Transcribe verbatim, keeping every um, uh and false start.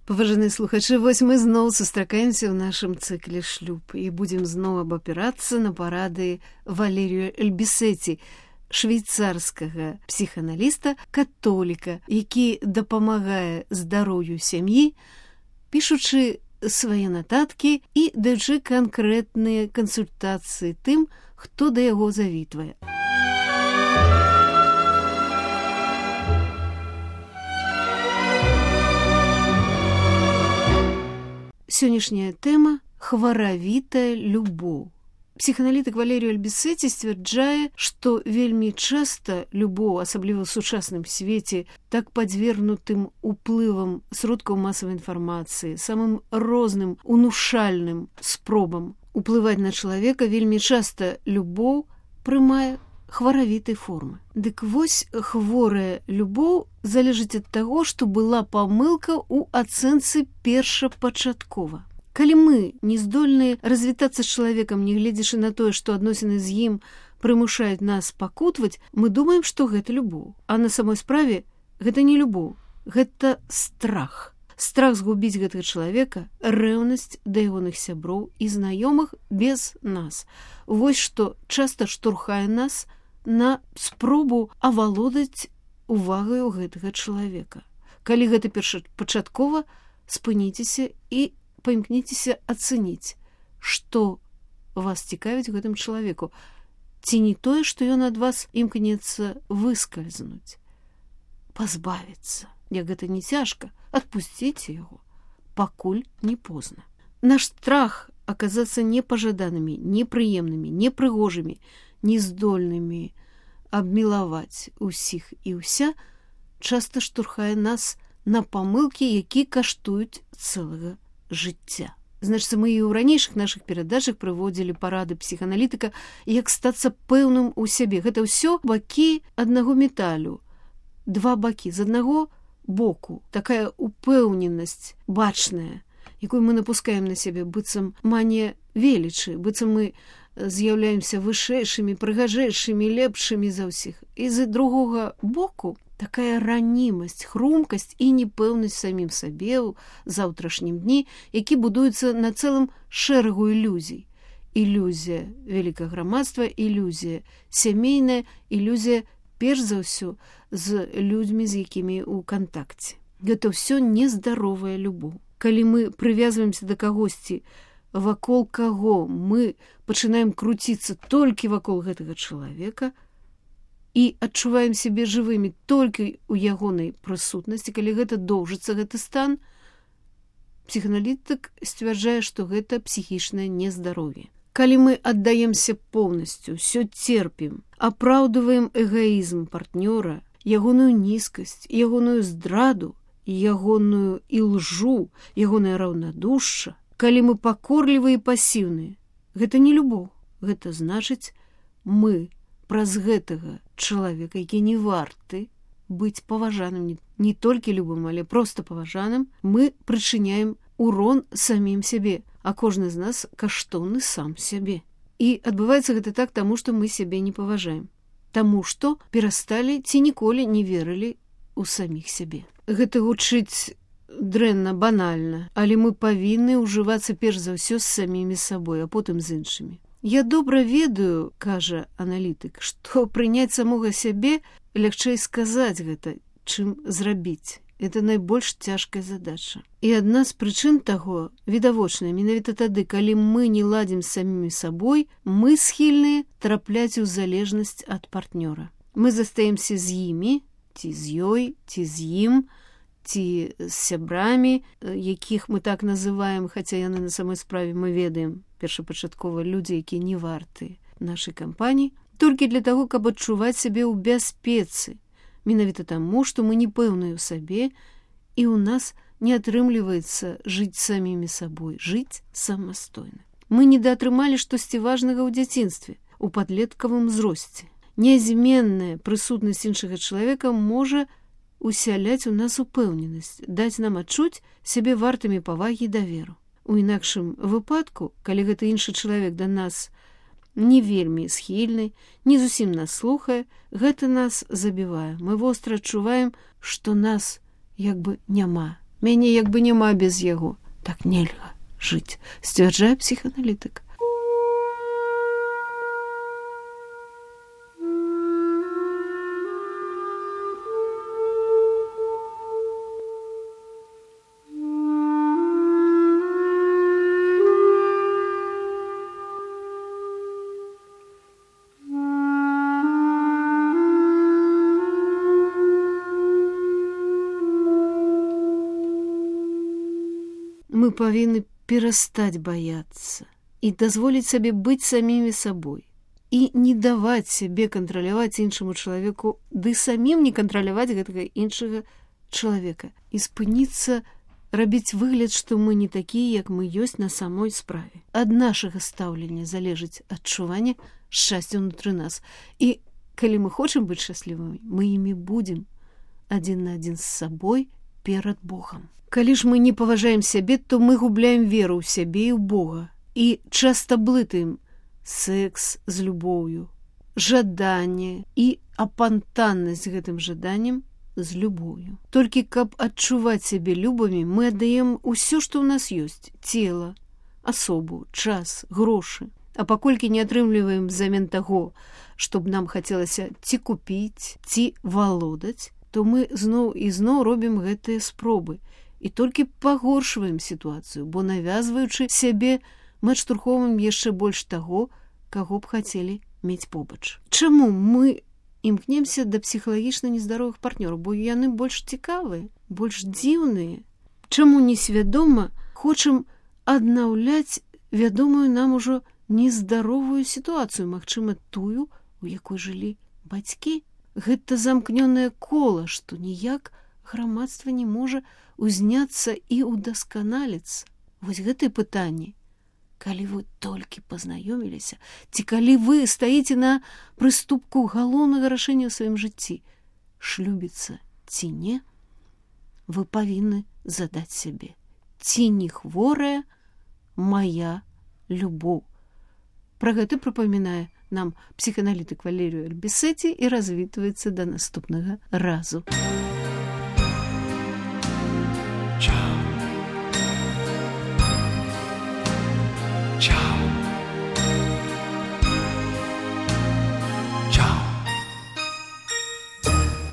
Паважаныя слухачы, вось мы зноў сустракаемся ў нашым цыкле шлюб і будзем зноў абапірацца на парады Валерію Эльбісеці, швейцарскага псіханаліста, католіка, які дапамагае здароўю сям'і, пішучы свае нататкі і даючы канкрэтныя кансультацыі тым, хто да яго завітвае. Сённяшняя тэма – хваравітая любоў. Псіханалітык Валерію Эльбісеці сцвярджае, што вельмі часта любоў, асабліва ў сучасным свеце, так падвергнутым уплывам сродкаў масавай інфармацыі, самым розным унушальным спробам уплываць на чалавека, вельмі часта любоў прымае хваравітай формы. Дык вось хворая любоў залежыць ад таго, што была памылка ў ацэнцы першапачаткова. Калі мы не здольныя развітацца з чалавекам, не гледзячы на тое, што адносіны з ім прымушаюць нас пакутваць, мы думаем, што гэта любоў. А на самой справе гэта не любоў, гэта страх. Страх згубіць гэтага чалавека, рэўнасць да ягоных сяброў і знаёмых без нас. Вось што часта штурхае нас на спробу авалодаць увагаю гэтага чалавека. Калі гэта першапачаткова, спыніцеся і паімкніцеся ацэніць, што вас цікавіць гэтым чалавеку. Ці не тое, што ён ад вас імкнецца выскальзнуць, пазбавіцца. Як гэта не цяжка, адпусціце яго, пакуль не позна. Наш страх аказацца непажаданымі, непрыемнымі, непрыгожымі, нездольнымі абмілаваць усіх і ўся часта штурхае нас на памылкі, які каштуюць цэлага жыцця. Значыцца, мы і ў ранейшых нашых перадачах прыводзілі парады псіханалітыка, як стацца пэўным у сябе. Гэта ўсё бакі аднаго металю. Два бакі. З аднаго боку такая упэўненасць бачная, якую мы напускаем на сябе, быццам манія велічы, быццам мы з'яўляемся вышэйшымі, прыгажэйшымі, лепшымі за ўсіх. І з другога боку такая ранімасць, хрумкасць і непэўнасць самім сабе ў заўтрашнім дні, які будуецца на цэлым шэрагу ілюзій. Ілюзія вялікага грамадства, ілюзія сямейная, ілюзія перш за ўсё з людзьмі, з якімі ў кантакце. Гэта ўсё нездаровая любоў. Калі мы прывязваемся да кагосьці, вакол каго мы пачынаем круціцца толькі вакол гэтага чалавека і адчуваем сябе жывымі толькі ў ягонай прысутнасці, калі гэта доўжыцца, гэты стан, псіханалітык сцвярджае, што гэта псіхічнае нездароўе. Калі мы аддаемся поўнасцю, ўсё церпім, апраўдваем эгоізм партнёра, ягоную нізкасць, ягоную здраду, ягоную ілжу, ягонае раўнадушча, калі мы пакорлівыя і пасіўныя, гэта не любоў. Гэта значыць, мы праз гэтага чалавека, які не варты быць паважаным, не толькі любым, але проста паважаным, мы прычыняем урон самім сябе, а кожны з нас каштоўны сам сябе. І адбываецца гэта так, таму што мы сябе не паважаем. Таму што перасталі ці ніколі не верылі ў саміх сябе. Гэта гучыць дрэнна, банальна, але мы павінны ўжывацца перш за ўсё з самімі сабой, а потым з іншымі. Я добра ведаю, кажа аналітык, што прыняць самога сябе лягчэй сказаць гэта, чым зрабіць. Это найбольш цяжкая задача. І адна з прычын таго відавочная. Менавіта тады, калі мы не ладзім з самімі сабой, мы схільныя трапляць у залежнасць ад партнёра. Мы застаемся з імі, ці з ёй, ці з ім, ці з сябрамі, якіх мы так называем, хаця яны на самой справе мы ведаем першапачаткова людзі, якія не варты нашай кампаніі, толькі для таго, каб адчуваць сябе ў бяспецы. Менавіта таму, што мы не пэўныя ў сабе, і ў нас не атрымліваецца жыць самімі сабой, жыць самастойна. Мы недаатрымалі штосьці важнага ў дзяцінстве, у падлеткавым узросце. Нязменная прысутнасць іншага чалавека можа усяляць у нас упэўненасць, даць нам адчуць сябе вартымі павагі і даверу. У інакшым выпадку, калі гэты іншы чалавек да нас не вельмі схільны, не зусім нас слухае, гэта нас забівае. Мы востра адчуваем, што нас як бы няма, Мяне як бы няма без яго. Так нельга жыць, сцвярджае псіхааналітык. Мы павінны перастаць баяцца і дазволіць сабе быць самімі сабой і не даваць сябе кантраляваць іншаму чалавеку, ды самім не кантраляваць гэтага іншага чалавека і спыніцца рабіць выгляд, што мы не такія, як мы ёсць на самой справе. Ад нашага стаўлення залежыць адчуванне шчасця ўнутры нас. І калі мы хочам быць шчаслівымі, мы імі будзем адзін на адзін з сабой перад Богам. Калі ж мы не паважаем сябе, то мы губляем веру ў сябе і ў Бога і часта блытаем секс з любоўю, жаданне і апантаннасць гэтым жаданнем з любоўю. Толькі каб адчуваць сябе любымі, мы аддаем усё, што ў нас ёсць: цела, асобу, час, грошы. А паколькі не атрымліваем взамен таго, што б нам хацелася ці купіць, ці валодаць, то мы зноў і зноў робім гэтыя спробы і толькі пагоршваем сітуацыю, бо навязваючы сябе, мы адштурхоўваем яшчэ больш таго, каго б хацелі мець побач. Чаму мы імкнемся да псіхалагічна нездаровых партнёраў? Бо яны больш цікавыя, больш дзіўныя. Чаму несвядома хочам аднаўляць вядомую нам ужо нездаровую сітуацыю, магчыма, тую, у якой жылі бацькі? Гэта замкнёнае кола, што ніяк грамадства не можа узняцца і удасканаліцца. Вось гэтыя пытанні. Калі вы толькі пазнаёміліся, ці калі вы стаіце на прыступку галоўнага рашэння ў сваім жыцці, шлюбіцца ці не, вы павінны задаць сябе: ці не хворая мая любоў? Пра гэта прыпамінае нам псіхааналітык Валерію Альбісеці і развітваецца да наступнага разу.